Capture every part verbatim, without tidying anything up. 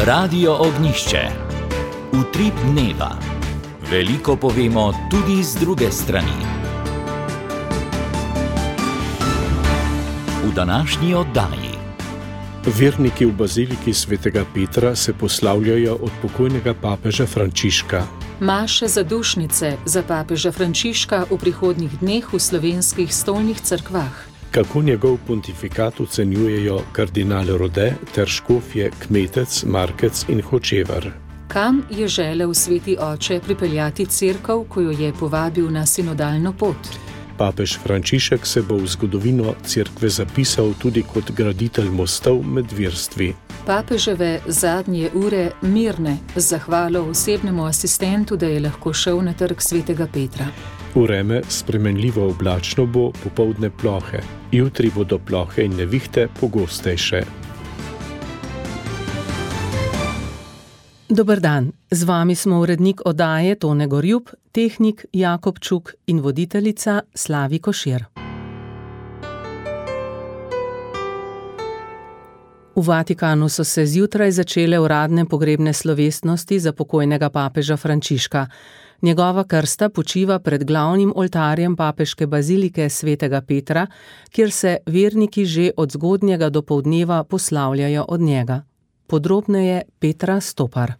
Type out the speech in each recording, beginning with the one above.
Radio Ognišče. Utrip dneva. Veliko povemo tudi z druge strani. V današnji oddaji. Verniki v baziliki svetega Petra se poslavljajo od pokojnega papeža Frančiška. Maše zadušnice za papeža Frančiška v prihodnjih dneh v slovenskih stolnih cerkvah. Kako njegov pontifikat ocenjujejo kardinal Rode ter škofje Kmetec, Markec in Hočevar. Kam je želel sveti oče pripeljati cerkev, ko jo je povabil na sinodalno pot? Papež Frančišek se bo v zgodovino cerkve zapisal tudi kot graditelj mostov med verstvi. Papeževe zadnje ure mirne z zahvalo osebnemu asistentu, da je lahko šel na trg svetega Petra. Vreme spremenljivo oblačno bo, popoldne plohe. Jutri bodo plohe in nevihte pogostejše. Dober dan, z vami smo urednik oddaje Tone Gorjup, tehnik Jakob Čuk in voditeljica Slavi Košir. V Vatikanu so se zjutraj začele uradne pogrebne slovesnosti za pokojnega papeža Frančiška. Njegova krsta počiva pred glavnim oltarjem papeške bazilike svetega Petra, kjer se verniki že od zgodnjega dopoldneva poslavljajo od njega. Podrobneje Petra Stopar.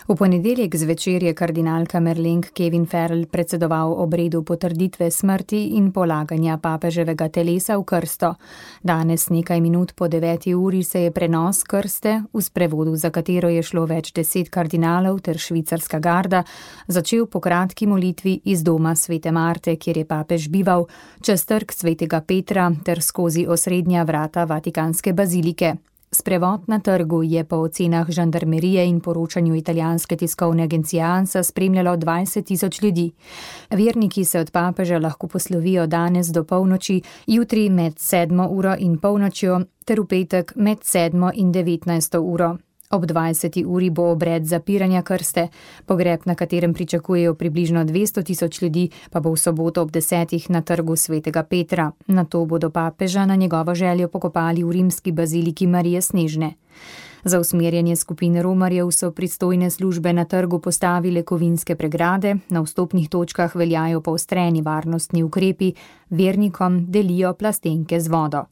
V ponedeljek zvečer je kardinalka Merlenk Kevin Farrell predsedoval obredu potrditve smrti in polaganja papeževega telesa v krsto. Danes nekaj minut po deveti uri se je prenos krste, v sprevodu za katero je šlo več deset kardinalov ter švicarska garda, začel po kratki molitvi iz doma svete Marte, kjer je papež bival, čez trg svetega Petra ter skozi osrednja vrata vatikanske bazilike. Sprevod na trgu je po ocenah žandarmerije in poročanju italijanske tiskovne agencije ANSA spremljalo dvajset tisoč ljudi. Verniki se od papeža lahko poslovijo danes do polnoči, jutri med sedmo uro in polnočjo ter v petek med sedmo in devetnajsto uro. Ob dvajseti uri bo obred zapiranja krste, pogreb, na katerem pričakujejo približno dvesto tisoč ljudi, pa bo v soboto ob desetih na trgu svetega Petra. Nato bodo papeža na njegovo željo pokopali v rimski baziliki Marije Snežne. Za usmerjanje skupine romarjev so pristojne službe na trgu postavile kovinske pregrade, na vstopnih točkah veljajo poostreni varnostni ukrepi, vernikom delijo plastenke z vodo.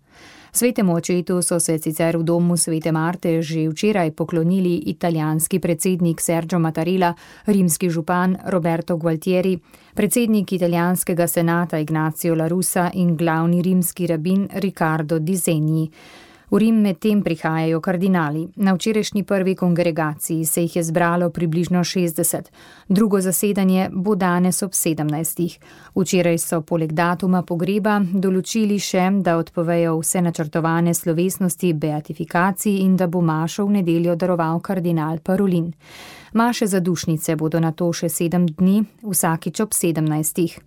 Svetemu očetu so se sicer v domu svete Marte že včeraj poklonili italijanski predsednik Sergio Mattarella, rimski župan Roberto Gualtieri, predsednik italijanskega senata Ignacio La Russa in glavni rimski rabin Riccardo Di Segni. V Rim medtem prihajajo kardinali. Na včerajšnji prvi kongregaciji se jih je zbralo približno šestdeset. Drugo zasedanje bo danes ob sedemnajstih. Včeraj so poleg datuma pogreba določili še, da odpovejo vse načrtovane slovesnosti beatifikacij in da bo mašo v nedeljo daroval kardinal Parolin. Maše zadušnice bodo nato še sedem dni, vsakič ob sedemnajstih.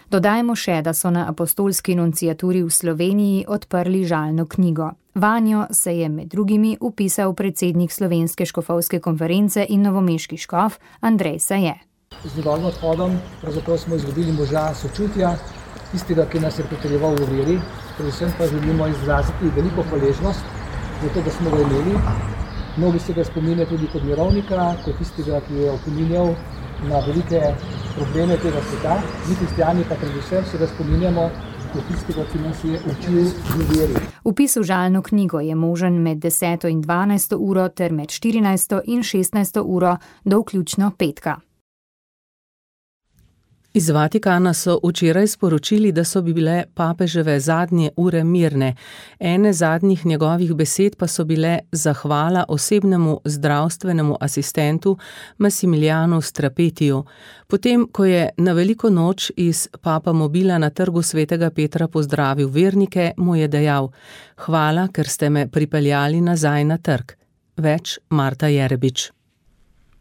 Dodajmo še, da so na apostolski nunciaturi v Sloveniji odprli žalno knjigo. Vanjo se je med drugimi upisal predsednik Slovenske škofovske konference in novomeški škof Andrej Saje. Z njegovim odhodom pravzaprav smo izgubili moža sočutja, tistega, ki nas je pritrjeval v veri, predvsem pa želimo izraziti veliko hvaležnost za to, da smo ga imeli. Mnogi se ga spominjajo tudi kot mirovnika, kot tistega, ki je opominjal na velike probleme tega sveta. Mi kristjani pa predvsem se ga spominjamo kot tistega, ki nas je učil v veri. Vpis v žalno knjigo je možen med deseto in dvanajsto uro ter med štirinajsto in šestnajsto uro do vključno petka. Iz Vatikana so včeraj sporočili, da so bile papeževe zadnje ure mirne. Ene zadnjih njegovih besed pa so bile zahvala osebnemu zdravstvenemu asistentu Massimilianu Strapetiju. Potem, ko je na veliko noč iz Papa Mobila na trgu svetega Petra pozdravil vernike, mu je dejal: "Hvala, ker ste me pripeljali nazaj na trg." Več Marta Jerebič.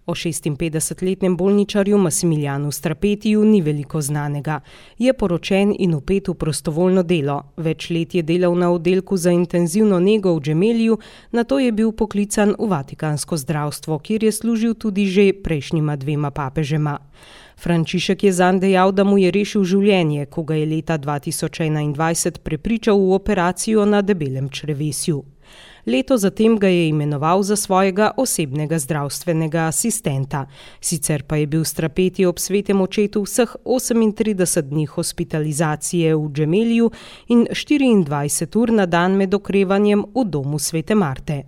O šestinpetdesetletnem bolničarju Massimiljanu Strapetiju ni veliko znanega. Je poročen in vpet v prostovoljno delo. Več let je delal na oddelku za intenzivno nego v Gemeliju, nato je bil poklican v vatikansko zdravstvo, kjer je služil tudi že prejšnjima dvema papežema. Frančišek je zanj dejal, da mu je rešil življenje, ko ga je leta dva tisoč enaindvajset prepričal v operacijo na debelem črevesju. Leto zatem ga je imenoval za svojega osebnega zdravstvenega asistenta. Sicer pa je bil Strapeti ob svetem očetu vseh osemintrideset dni hospitalizacije v Džemeliju in štiriindvajset ur na dan med okrevanjem v domu svete Marte.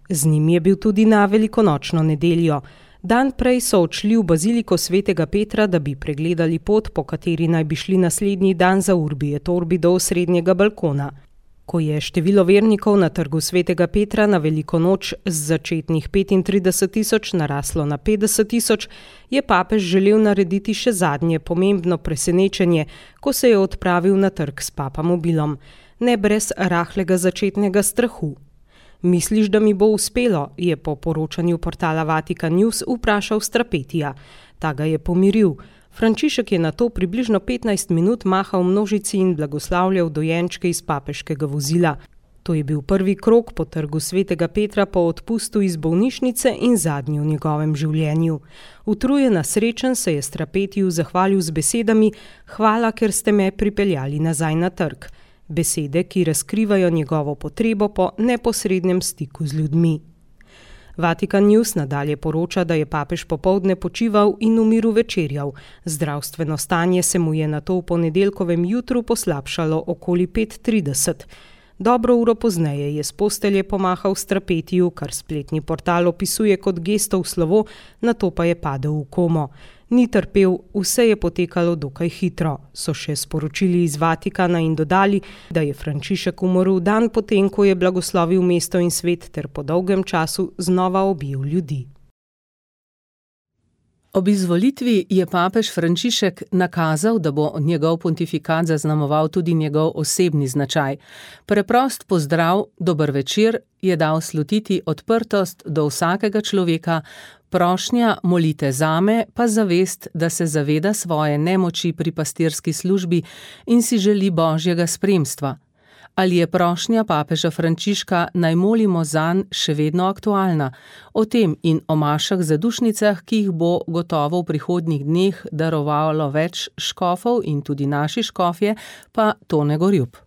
Z njim je bil tudi na velikonočno nedeljo. Dan prej so odšli v baziliko svetega Petra, da bi pregledali pot, po kateri naj bi šli naslednji dan za Urbi et Orbi do osrednjega balkona. Ko je število vernikov na trgu svetega Petra na veliko noč z začetnih petintrideset tisoč naraslo na petdeset tisoč, je papež želel narediti še zadnje pomembno presenečenje, ko se je odpravil na trg s papamobilom, ne brez rahlega začetnega strahu. Misliš, da mi bo uspelo, je po poročanju portala Vatikan News vprašal Strapetija. Ta ga je pomiril. Frančišek je nato približno petnajst minut mahal množici in blagoslavljal dojenčke iz papeškega vozila. To je bil prvi krog po trgu svetega Petra po odpustu iz bolnišnice in zadnji v njegovem življenju. Utrujen a srečen se je Strapetiju zahvalil z besedami: "Hvala, ker ste me pripeljali nazaj na trg." Besede, ki razkrivajo njegovo potrebo po neposrednem stiku z ljudmi. Vatikan News nadalje poroča, da je papež popoldne počival in v miru večerjal. Zdravstveno stanje se mu je nato v ponedeljkovem jutru poslabšalo okoli pet trideset. Dobro uro pozneje je s postelje pomahal Strapetiju, kar spletni portal opisuje kot gestov slovo, nato pa je padel v komo. Ni trpel, vse je potekalo dokaj hitro, so še sporočili iz Vatikana in dodali, da je Frančišek umrl dan potem, ko je blagoslovil mesto in svet ter po dolgem času znova objel ljudi. Ob izvolitvi je papež Frančišek nakazal, da bo njegov pontifikat zaznamoval tudi njegov osebni značaj. Preprost pozdrav, dober večer, je dal slutiti odprtost do vsakega človeka, prošnja molite zame, pa zavest, da se zaveda svoje nemoči pri pastirski službi in si želi božjega spremstva. Ali je prošnja papeža Frančiška naj molimo zanj še vedno aktualna? O tem in o mašah zadušnicah, ki jih bo gotovo v prihodnjih dneh darovalo več škofov in tudi naši škofje, pa Tone Gorjup.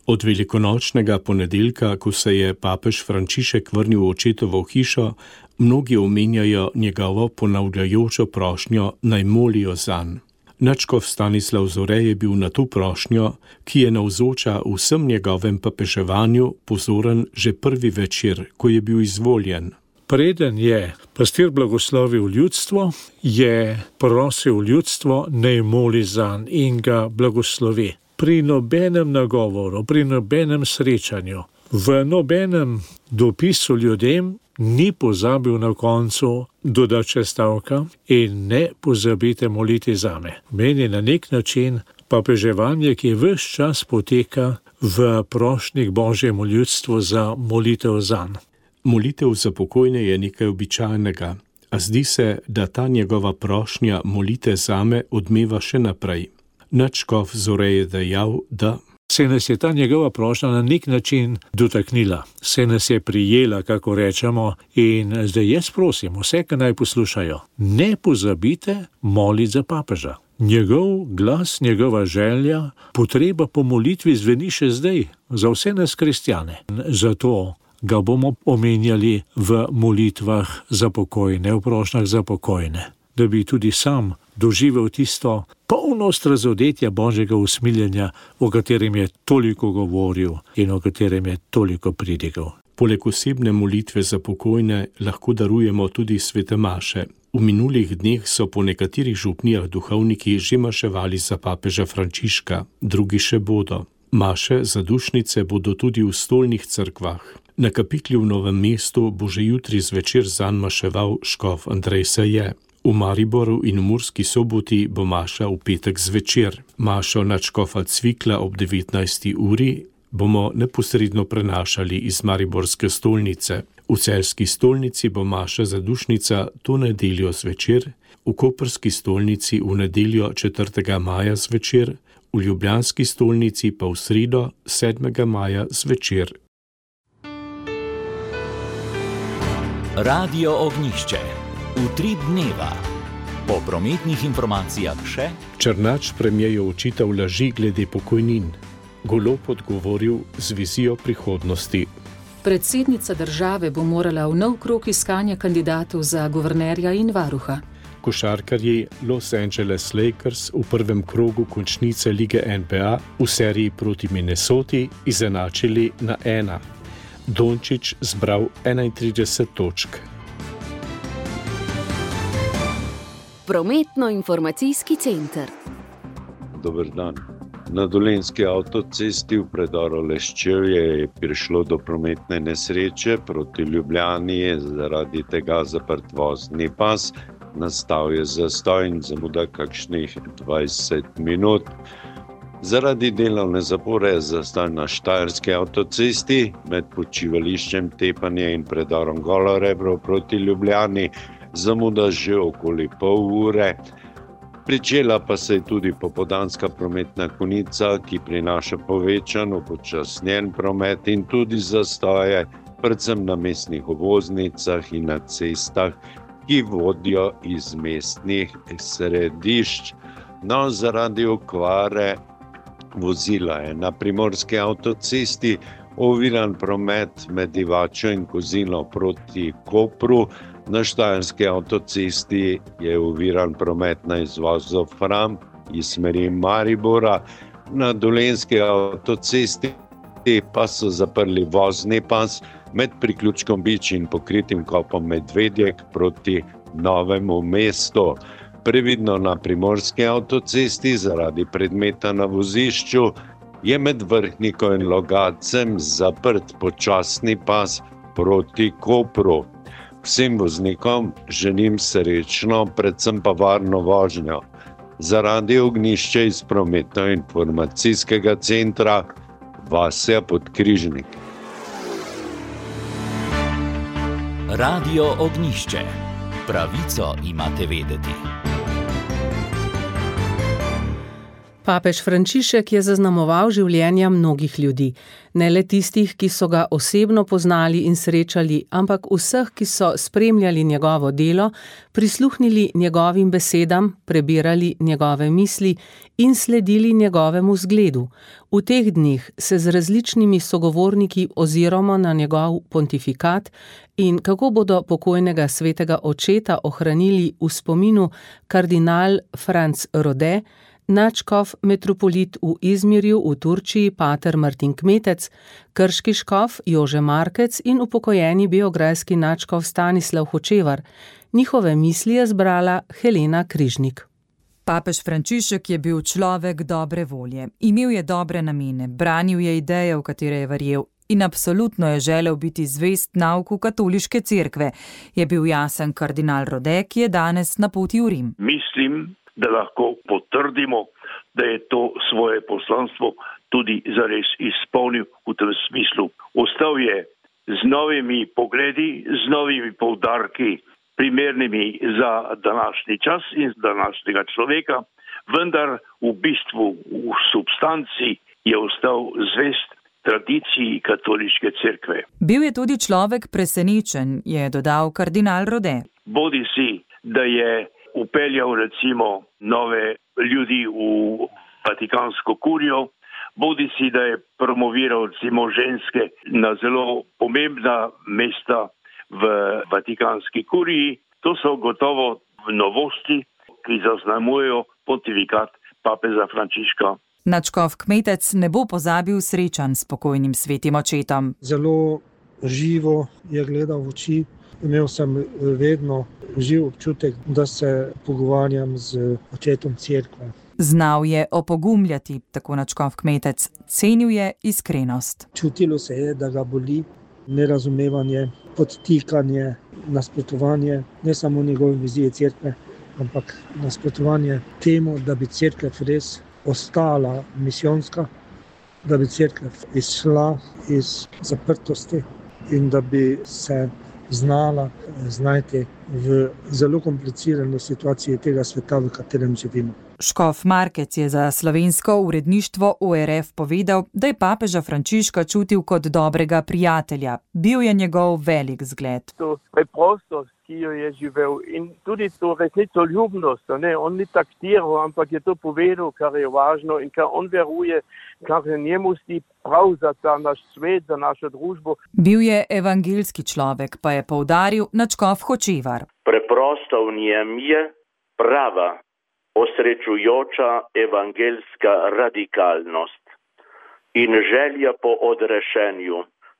Od velikonočnega ponedeljka, ko se je papež Frančišek vrnil v očetovo hišo, mnogi omenjajo njegovo ponavljajočo prošnjo naj molijo zanj. Nadškof Stanislav Zore je bil na to prošnjo, ki je navzoča vsem njegovem papeževanju, pozoren že prvi večer, ko je bil izvoljen. Preden je pastir blagoslovil ljudstvo, je prosil ljudstvo naj moli zanj in ga blagoslovi. Pri nobenem nagovoru, pri nobenem srečanju, v nobenem dopisu ljudem ni pozabil na koncu dodati še stavka in ne pozabite moliti zame. Meni na nek način papeževanje, ki ves čas poteka v prošnjih Božjemu ljudstvu za molitev zanj. Molitev za pokojne je nekaj običajnega, a zdi se, da ta njegova prošnja molite zame odmeva še naprej. Nadškof Zore je dejal, da se nas je ta njegova prošnja na nek način dotaknila, se nas je prijela, kako rečemo, in zdaj jaz prosim vse, ki naj poslušajo, ne pozabite moliti za papeža. Njegov glas, njegova želja, potreba po molitvi zveni še zdaj za vse nas kristjane. Zato ga bomo omenjali v molitvah za pokojne, v prošnjah za pokojne, da bi tudi sam doživel tisto polnost razodetja Božjega usmiljenja, o katerem je toliko govoril in o katerem je toliko pridigal. Poleg osebne molitve za pokojne lahko darujemo tudi svete maše. V minulih dneh so po nekaterih župnijah duhovniki že maševali za papeža Frančiška, drugi še bodo. Maše za dušnice bodo tudi v stolnih cerkvah. Na kapiklju v Novem mestu bo že jutri zvečer zanj maševal škof Andrej Saje. V Mariboru in v Murski Soboti bo maša v petek zvečer. Mašo nadškofa Cvikla ob devetnajsti uri bomo neposredno prenašali iz mariborske stolnice. V celjski stolnici bo maša zadušnica to nedeljo zvečer, v koprski stolnici v nedeljo četrtega maja zvečer, v ljubljanski stolnici pa v sredo sedmega maja zvečer. Radio Ognjišče. Utrip dneva. Po prometnih informacijah še Černač premierju očital laži glede pokojnin. Golob odgovoril z vizijo prihodnosti. Predsednica države bo morala v nov krog iskanja kandidatov za guvernerja in varuha. Košarkarji Los Angeles Lakers v prvem krogu končnice lige N B A v seriji proti Minnesoti izenačili na ena. Dončić zbral enaintrideset točk. Prometno-informacijski center. Dober dan. Na Dolenjski avtocesti v predoru Leščevje je prišlo do prometne nesreče. Proti Ljubljani je zaradi tega zaprt vozni pas. Nastal je zastoj in zamuda kakšnih dvajset minut. Zaradi delovne zapore je zastoj na Štajerski avtocesti med počivališčem Tepanje in predorom Golo Rebro proti Ljubljani. Zamuda že okoli pol ure. Pričela pa se je tudi popoldanska prometna konica, ki prinaša povečan upočasnjen promet in tudi zastoje, predvsem na mestnih obvoznicah in na cestah, ki vodijo iz mestnih središč. No, zaradi okvare vozila je na Primorski avtocesti oviran promet med Divačo in Kozino proti Kopru. Na Štajerski avtocesti je oviran promet na izvozu Fram iz smeri Maribora. Na Dolenjski avtocesti pa so zaprli vozni pas med priključkom Bič in pokritim kopom Medvedjek proti Novemu mestu. Previdno na Primorski avtocesti zaradi predmeta na vozišču je med Vrhniko in Logatcem zaprt počasni pas proti Kopru. Vsem voznikom želim srečno, predvsem pa varno vožnjo. Zaradi ognjišča iz prometno-informacijskega centra Vasja Podkrižnik. Radio Ognjišče. Pravico imate vedeti. Papež Frančišek je zaznamoval življenja mnogih ljudi. Ne le tistih, ki so ga osebno poznali in srečali, ampak vseh, ki so spremljali njegovo delo, prisluhnili njegovim besedam, prebirali njegove misli in sledili njegovemu zgledu. V teh dneh se z različnimi sogovorniki oziramo na njegov pontifikat in kako bodo pokojnega svetega očeta ohranili v spominu kardinal Franz Rode, nadškof metropolit v Izmirju v Turčiji pater Martin Kmetec, krški škof Jože Markec in upokojeni beograjski nadškof Stanislav Hočevar. Njihove misli je zbrala Helena Križnik. Papež Frančišek je bil človek dobre volje. Imel je dobre namene, branil je ideje, v katere je verjel in absolutno je želel biti zvest nauku katoliške cerkve. Je bil jasen kardinal Rode, ki je danes na poti v Rim. Mislim, da lahko potrdimo, da je to svoje poslanstvo tudi zares izpolnil v tem smislu. Ostal je z novimi pogledi, z novimi poudarki, primernimi za današnji čas in za današnjega človeka, vendar v bistvu, v substanci je ostal zvest tradiciji katoliške cerkve. Bil je tudi človek presenečen, je dodal kardinal Rode. Bodi si, da je upeljal recimo nove ljudi v Vatikansko kurijo, bodi si, da je promoviral recimo ženske na zelo pomembna mesta v Vatikanski kuriji. To so gotovo novosti, ki zaznamujejo pontifikat papeža Frančiška. Nadškof Kmetec ne bo pozabil srečanj s pokojnim svetim očetom. Zelo živo je gledal v oči. Imel sem vedno živ občutek, da se pogovarjam z očetom cerkve. Znal je opogumljati, tako nadškof Kmetec. Cenil je iskrenost. Čutilo se je, da ga boli nerazumevanje, podtikanje, nasprotovanje, ne samo njegove vizije cerkve, ampak nasprotovanje temu, da bi cerkev res ostala misijonska, da bi cerkev izšla iz zaprtosti in da bi se znala znajti v zelo komplicirani situaciji tega sveta, v katerem živimo. Škof Markec je za slovensko uredništvo O R F povedal, da je papeža Frančiška čutil kot dobrega prijatelja. Bil je njegov velik zgled. To preprostost, ki jo je živel, in tudi to resnicoljubnost. Ne? On ni taktiral, ampak je to povedal, kar je važno in kar on veruje, kar je njemu sti prav za ta naš svet, za našo družbo. Bil je evangeljski človek, pa je poudaril nadškof Hočevar. Preprosto v njem je prava, osrečujoča evangeljska radikalnost in želja po odrešenju.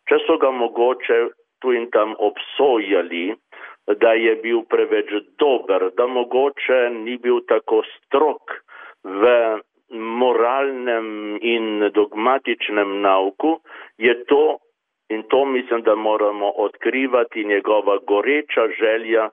Če so ga mogoče tu in tam obsojali, da je bil preveč dober, da mogoče ni bil tako strog v moralnem in dogmatičnem nauku, je to, in to mislim, da moramo odkrivati, njegova goreča želja,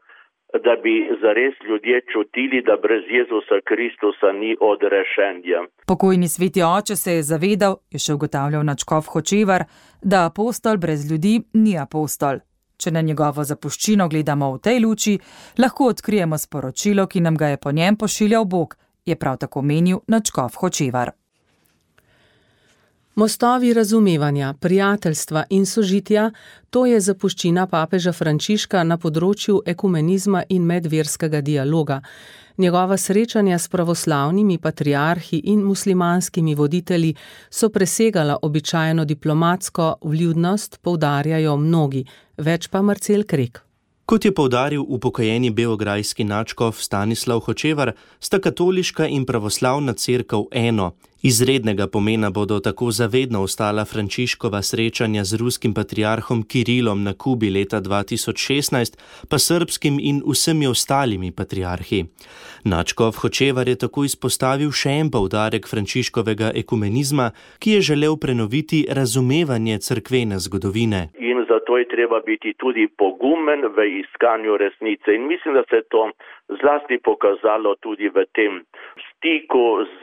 da bi zares ljudje čutili, da brez Jezusa Kristusa ni odrešenja. Pokojni sveti oče se je zavedal, je še ugotavljal nadškof Hočevar, da apostol brez ljudi ni apostol. Če na njegovo zapuščino gledamo v tej luči, lahko odkrijemo sporočilo, ki nam ga je po njem pošiljal Bog, je prav tako menil nadškof Hočevar. Mostovi razumevanja, prijateljstva in sožitja, to je zapuščina papeža Frančiška na področju ekumenizma in medverskega dialoga. Njegova srečanja s pravoslavnimi patriarhi in muslimanskimi voditelji so presegala običajno diplomatsko vljudnost, poudarjajo mnogi, več pa Marcel Krek. Kot je poudaril upokojeni beograjski nadškof Stanislav Hočevar, sta katoliška in pravoslavna cerkev eno. Izrednega pomena bodo tako zavedno ostala Frančiškova srečanja z ruskim patriarhom Kirilom na Kubi leta dva tisoč šestnajst, pa srbskim in vsemi ostalimi patriarhi. Nadškof Hočevar je tako izpostavil še en poudarek Frančiškovega ekumenizma, ki je želel prenoviti razumevanje cerkvene zgodovine. In zato je treba biti tudi pogumen v iskanju resnice. In mislim, da se to zlasti pokazalo tudi v tem stiku z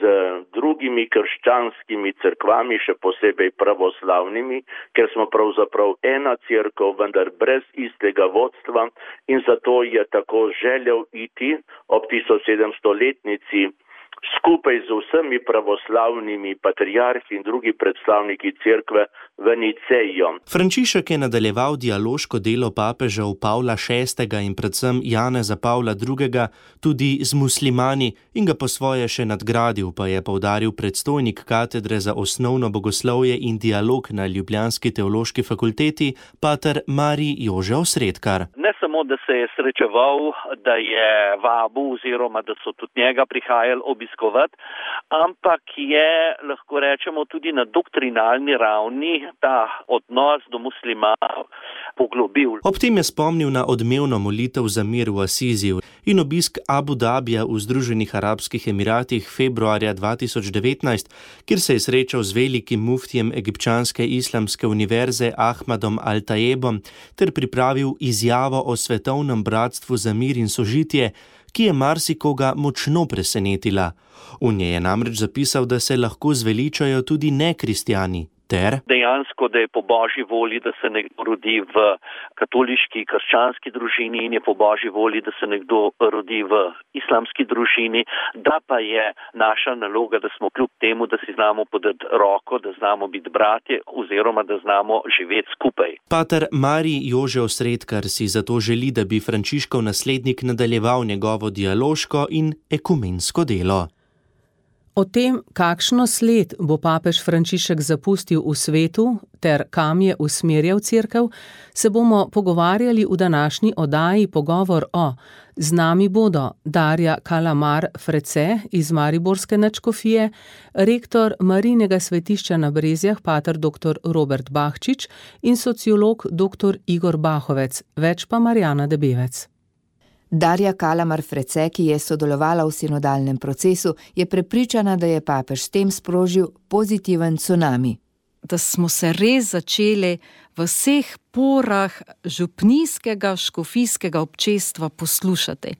drugimi krščanskimi cerkvami, še posebej pravoslavnimi, ker smo pravzaprav ena cerkev, vendar brez istega vodstva, in zato je tako želel iti ob tisoč sedemstoletnici skupaj z vsemi pravoslavnimi patriarhi in drugi predstavniki cerkve v Nicejo. Frančišek je nadaljeval dialoško delo papežev Pavla šestega in predvsem Janeza Pavla drugega tudi z muslimani in ga po svoje še nadgradil, pa je poudaril predstojnik katedre za osnovno bogoslovje in dialog na ljubljanski teološki fakulteti, pater Marij Jože Osredkar. Ne samo, da se je srečeval, da je vabil oziroma da so tudi njega prihajali obiskovati, ampak je, lahko rečemo, tudi na doktrinalni ravni ta odnos do muslimanov poglobil. Ob tem je spomnil na odmevno molitev za mir v Asiziju in obisk Abu Dabija v Združenih arabskih emiratih februarja dva tisoč devetnajst, kjer se je srečal z velikim muftijem egipčanske islamske univerze Ahmadom Al-Tayebom ter pripravil izjavo o svetovnem bratstvu za mir in sožitje, ki je marsikoga močno presenetila. V njej je namreč zapisal, da se lahko zveličajo tudi nekristjani. Ter? Dejansko, da je po božji volji, da se nekdo rodi v katoliški, krščanski družini in je po božji volji, da se nekdo rodi v islamski družini, da pa je naša naloga, da smo kljub temu, da si znamo podati roko, da znamo biti bratje oziroma da znamo živeti skupaj. Pater Marij Jože Osredkar si zato želi, da bi Frančiškov naslednik nadaljeval njegovo dialoško in ekumensko delo. O tem, kakšno sled bo papež Frančišek zapustil v svetu ter kam je usmerjal cerkev, se bomo pogovarjali v današnji oddaji Pogovor o. Z nami bodo Darja Kalamar Frece iz mariborske nadškofije, rektor Marijinega svetišča na Brezjah pater doktor Robert Bahčič in sociolog doktor Igor Bahovec, več pa Marjana Debevec. Darja Kalamar Frece, ki je sodelovala v sinodalnem procesu, je prepričana, da je papež s tem sprožil pozitiven tsunami. Da smo se res začeli v vseh porah župnijskega, škofijskega občestva poslušati.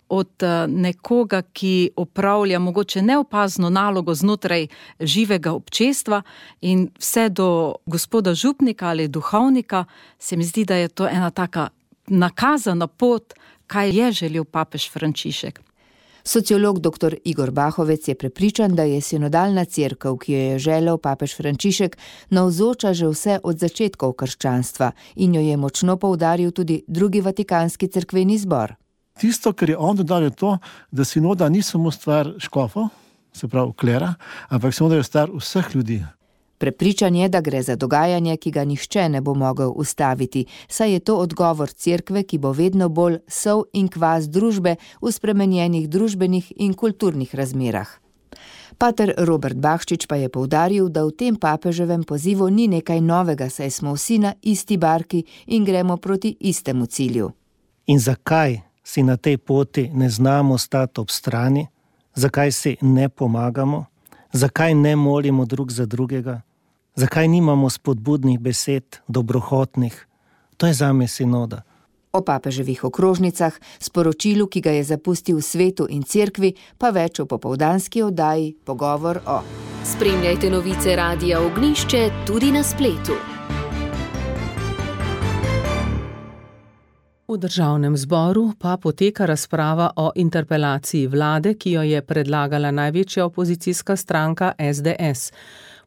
Od nekoga, ki opravlja mogoče neopazno nalogo znotraj živega občestva in vse do gospoda župnika ali duhovnika, se mi zdi, da je to ena taka nakazana pot, kaj je želel papež Frančišek. Sociolog doktor Igor Bahovec je prepričan, da je sinodalna cerkev, ki jo je želel papež Frančišek, navzoča že vse od začetkov krščanstva in jo je močno poudaril tudi drugi vatikanski cerkveni zbor. Tisto, kar je on dodal, je to, da sinoda ni samo stvar škofov, se pravi klera, ampak sinoda je stvar vseh ljudi. Prepričan je, da gre za dogajanje, ki ga nihče ne bo mogel ustaviti, saj je to odgovor cerkve, ki bo vedno bolj sol in kvas družbe v spremenjenih družbenih in kulturnih razmerah. Pater Robert Bahčič pa je poudaril, da v tem papeževem pozivu ni nekaj novega, saj smo vsi na isti barki in gremo proti istemu cilju. In zakaj si na tej poti ne znamo stati ob strani? Zakaj si ne pomagamo? Zakaj ne molimo drug za drugega? Zakaj nimamo spodbudnih besed, dobrohotnih? To je zame sinoda. O papeževih okrožnicah, sporočilu, ki ga je zapustil svetu in cerkvi, pa več v popoldanski oddaji Pogovor o. Spremljajte novice Radia Ognjišče tudi na spletu. V državnem zboru pa poteka razprava o interpelaciji vlade, ki jo je predlagala največja opozicijska stranka es de es.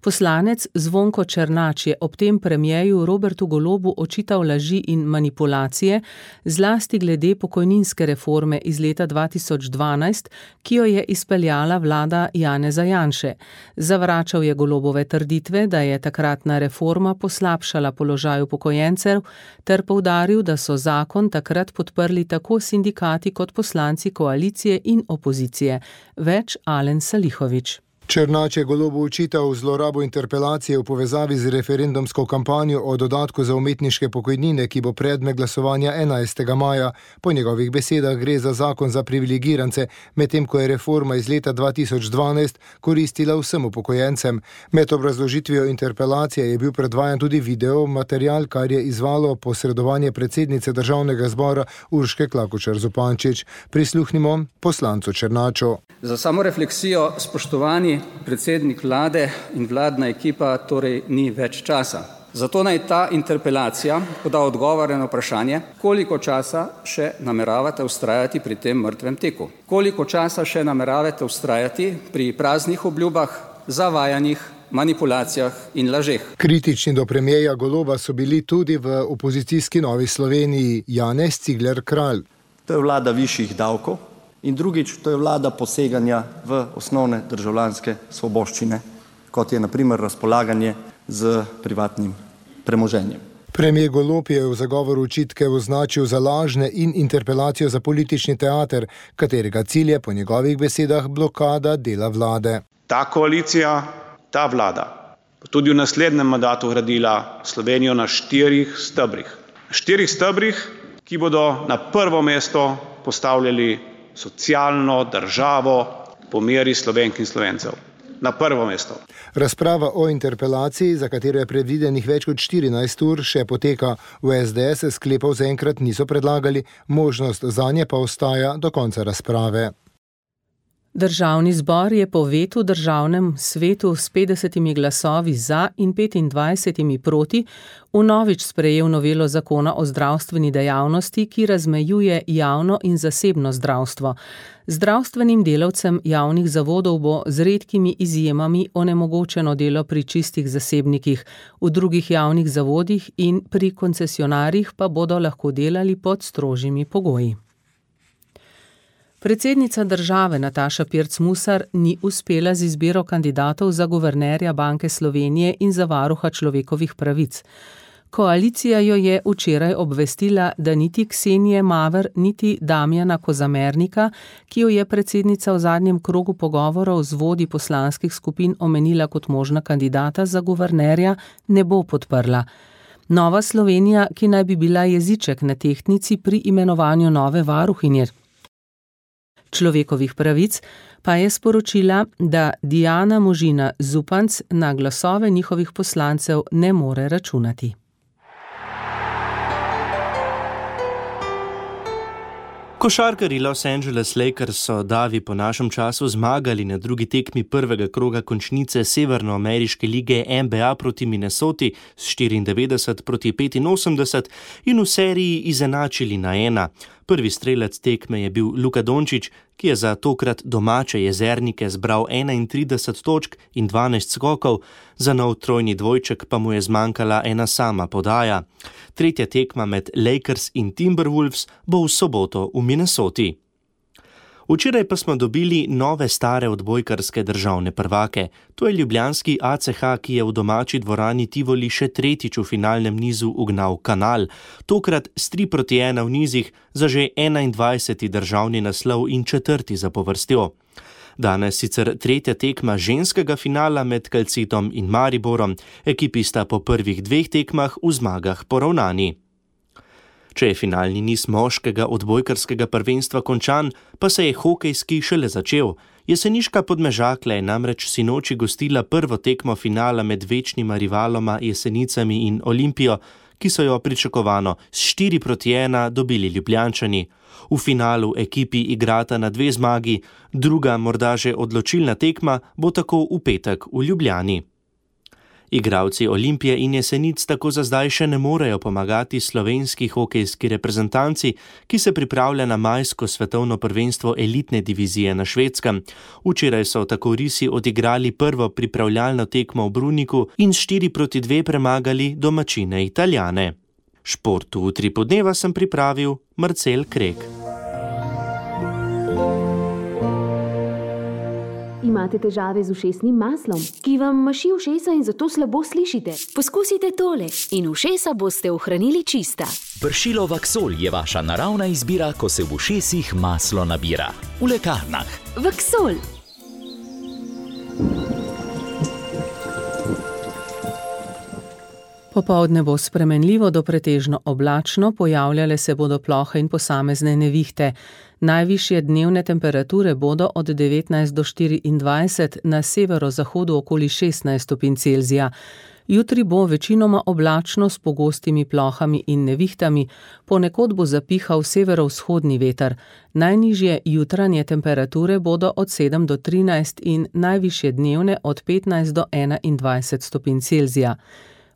Poslanec Zvonko Černač je ob tem premierju Robertu Golobu očital laži in manipulacije, zlasti glede pokojninske reforme iz leta dva tisoč dvanajst, ki jo je izpeljala vlada Janeza Janše. Zavračal je Golobove trditve, da je takratna reforma poslabšala položaj upokojencev, ter poudaril, da so zakon takrat podprli tako sindikati kot poslanci koalicije in opozicije. Več Alen Salihovič. Černač je Golobu očital zlorabo interpelacije v povezavi z referendumsko kampanjo o dodatku za umetniške pokojnine, ki bo predmet glasovanja enajstega maja. Po njegovih besedah gre za zakon za privilegirance, medtem ko je reforma iz leta dva tisoč dvanajst koristila vsem upokojencem. Med obrazložitvijo interpelacije je bil predvajan tudi video material, kar je izvalo posredovanje predsednice državnega zbora Urške Klakočar Zupančič. Prisluhnimo poslancu Černaču. Za samo refleksijo, spoštovani predsednik vlade in vladna ekipa, torej ni več časa. Zato naj ta interpelacija poda odgovore na vprašanje, koliko časa še nameravate vztrajati pri tem mrtvem teku. Koliko časa še nameravate vztrajati pri praznih obljubah, zavajanjih, manipulacijah in lažeh. Kritični do premierja Goloba so bili tudi v opozicijski Novi Sloveniji Janez Cigler Kralj. To je vlada višjih davkov. In drugič, to je vlada poseganja v osnovne državljanske svoboščine, kot je na primer razpolaganje z privatnim premoženjem. Premier Golob je v zagovoru očitke označil za lažne in interpelacijo za politični teater, katerega cilj je po njegovih besedah blokada dela vlade. Ta koalicija, ta vlada, tudi v naslednjem mandatu gradila Slovenijo na štirih stebrih. Štirih stebrih, ki bodo na prvo mesto postavljali socialno državo po meri Slovenk in Slovencev. Na prvo mesto. Razprava o interpelaciji, za katero je predvidenih več kot štirinajst ur, še poteka. V es de es sklepov zaenkrat niso predlagali, možnost zanje pa ostaja do konca razprave. Državni zbor je po vetu državnem svetu s petdesetimi glasovi za in petindvajsetimi proti vnovič sprejel novelo zakona o zdravstveni dejavnosti, ki razmejuje javno in zasebno zdravstvo. Zdravstvenim delavcem javnih zavodov bo z redkimi izjemami onemogočeno delo pri čistih zasebnikih, v drugih javnih zavodih in pri koncesionarjih pa bodo lahko delali pod strožjimi pogoji. Predsednica države Nataša Pirc Musar ni uspela z izbiro kandidatov za guvernerja Banke Slovenije in za varuha človekovih pravic. Koalicija jo je včeraj obvestila, da niti Ksenije Maver, niti Damjana Kozamernika, ki jo je predsednica v zadnjem krogu pogovorov z vodji poslanskih skupin omenila kot možna kandidata za guvernerja, ne bo podprla. Nova Slovenija, ki naj bi bila jeziček na tehtnici pri imenovanju nove varuhinje človekovih pravic, pa je sporočila, da Diana Možina Zupanc na glasove njihovih poslancev ne more računati. Košarkarji Los Angeles Lakers so davi po našem času zmagali na drugi tekmi prvega kroga končnice Severnoameriške lige en be a proti Minnesoti s štiriindevetdeset proti petinosemdeset in v seriji izenačili na ena. Prvi strelec tekme je bil Luka Dončić, ki je za tokrat domače Jezernike zbral enaintrideset točk in dvanajst skokov, za nov trojni dvojček pa mu je zmanjkala ena sama podaja. Tretja tekma med Lakers in Timberwolves bo v soboto v Minnesoti. Včeraj pa smo dobili nove stare odbojkarske državne prvake. To je ljubljanski A C H, ki je v domači dvorani Tivoli še tretjič v finalnem nizu ugnal Kanal. Tokrat s tri proti ena v nizih za že enaindvajseti državni naslov in četrti za povrstjo. Danes sicer tretja tekma ženskega finala med Calcitom in Mariborom. Ekipi sta po prvih dveh tekmah v zmagah poravnani. Če je finalni niz moškega odbojkarskega prvenstva končan, pa se je hokejski šele začel. Jeseniška Podmežakla je namreč sinoči gostila prvo tekmo finala med večnima rivaloma Jesenicami in Olimpijo, ki so jo pričakovano s štiri proti ena dobili Ljubljančani. V finalu ekipi igrata na dve zmagi, druga, morda že odločilna tekma, bo tako v petek v Ljubljani. Igralci Olimpije in Jesenic tako za zdaj še ne morejo pomagati slovenski hokejski reprezentanci, ki se pripravlja na majsko svetovno prvenstvo elitne divizije na Švedskem. Včeraj so tako risi odigrali prvo pripravljalno tekmo v Bruniku in štiri proti dve premagali domačine Italijane. Športu v Utripu dneva sem pripravil Marcel Krek. Imate težave z ušesnim maslom, ki vam maši ušesa in zato slabo slišite? Poskusite tole in ušesa boste ohranili čista. Pršilo Vaksol je vaša naravna izbira, ko se v ušesih maslo nabira. V lekarnah. Vaksol. Popoldne bo spremenljivo do pretežno oblačno, pojavljale se bodo plohe in posamezne nevihte. Najvišje dnevne temperature bodo od devetnajst do štiriindvajset, na severozahodu okoli šestnajst stopinj Celzija. Jutri bo večinoma oblačno s pogostimi plohami in nevihtami, ponekod bo zapihal severovzhodni veter. Najnižje jutranje temperature bodo od sedem do trinajst in najvišje dnevne od petnajst do enaindvajset stopinj Celzija.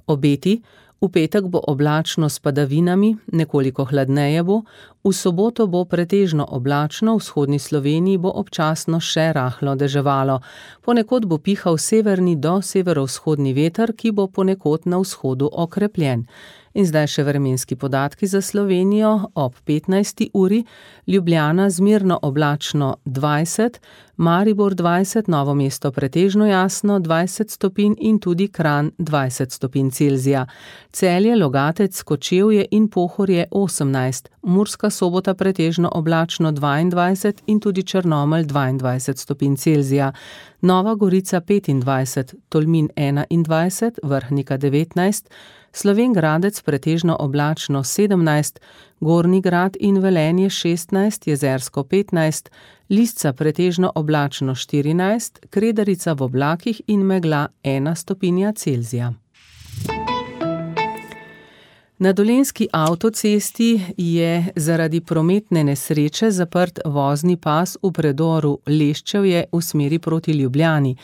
Obeti: v petek bo oblačno s padavinami, nekoliko hladneje bo, v soboto bo pretežno oblačno, v vzhodni Sloveniji bo občasno še rahlo deževalo. Ponekod bo pihal severni do severovzhodni veter, ki bo ponekod na vzhodu okrepljen. In zdaj še vremenski podatki za Slovenijo ob petnajsti uri: Ljubljana zmerno oblačno dvajset, Maribor dvajset, Novo mesto pretežno jasno dvajset stopinj in tudi Kranj dvajset stopinj Celzija. Celje, Logatec, Kočevje in Pohorje osemnajst, Murska Sobota pretežno oblačno dvaindvajset in tudi Črnomelj dvaindvajset stopinj Celzija. Nova Gorica petindvajset, Tolmin enaindvajset, Vrhnika devetnajst, Slovenj Gradec pretežno oblačno sedemnajst, Gornji Grad in Velenje šestnajst, Jezersko petnajst, Lisca pretežno oblačno štirinajst, Kredarica v oblakih in megla ena stopinja Celzija. Na Dolenjski avtocesti je zaradi prometne nesreče zaprt vozni pas v predoru Leščevje v smeri proti Ljubljani.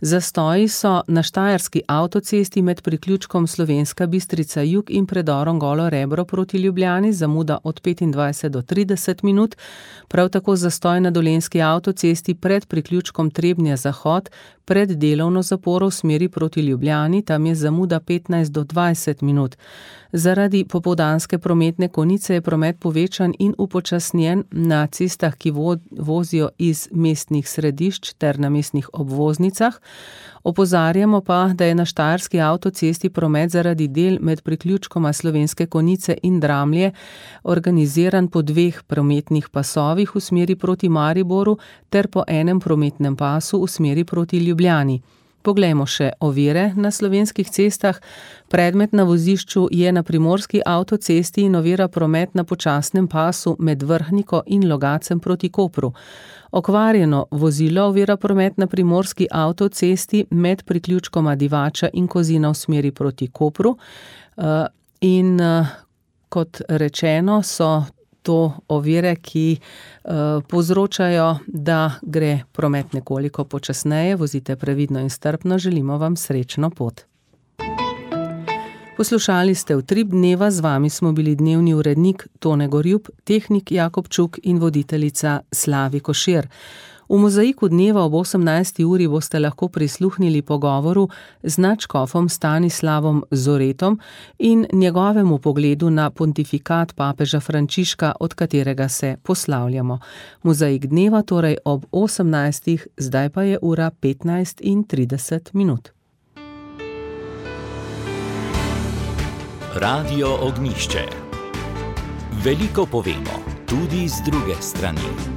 Zastoji so na Štajerski avtocesti med priključkom Slovenska Bistrica jug in predorom Golo Rebro proti Ljubljani, zamuda od petindvajset do trideset minut, prav tako zastoj na Dolenjski avtocesti pred priključkom Trebnje zahod, pred delovno zaporo v smeri proti Ljubljani, tam je zamuda petnajst do dvajset minut. Zaradi popoldanske prometne konice je promet povečan in upočasnjen na cestah, ki vozijo iz mestnih središč ter na mestnih obvoznicah. Opozarjamo pa, da je na Štajerski avtocesti promet zaradi del med priključkoma Slovenske Konjice in Dramlje organiziran po dveh prometnih pasovih v smeri proti Mariboru ter po enem prometnem pasu v smeri proti Ljubljani. Poglejmo še ovire na slovenskih cestah. Predmet na vozišču je na Primorski avtocesti in ovira promet na počasnem pasu med Vrhniko in Logacem proti Kopru. Okvarjeno vozilo ovira promet na Primorski avtocesti med priključkoma Divača in Kozina v smeri proti Kopru. In kot rečeno, so to ovire, ki uh, povzročajo, da gre promet nekoliko počasneje. Vozite previdno in strpno, želimo vam srečno pot. Poslušali ste Utrip dneva, z vami smo bili dnevni urednik Tone Gorjup, tehnik Jakob Čuk in voditeljica Slavi Košir. V mozaiku dneva ob osemnajsti uri boste lahko prisluhnili pogovoru z nadškofom Stanislavom Zoretom in njegovemu pogledu na pontifikat papeža Frančiška, od katerega se poslavljamo. Mozaik dneva torej ob osemnajstih, zdaj pa je ura petnajst in trideset minut. Radio Ognjišče. Veliko povemo, tudi z druge strani.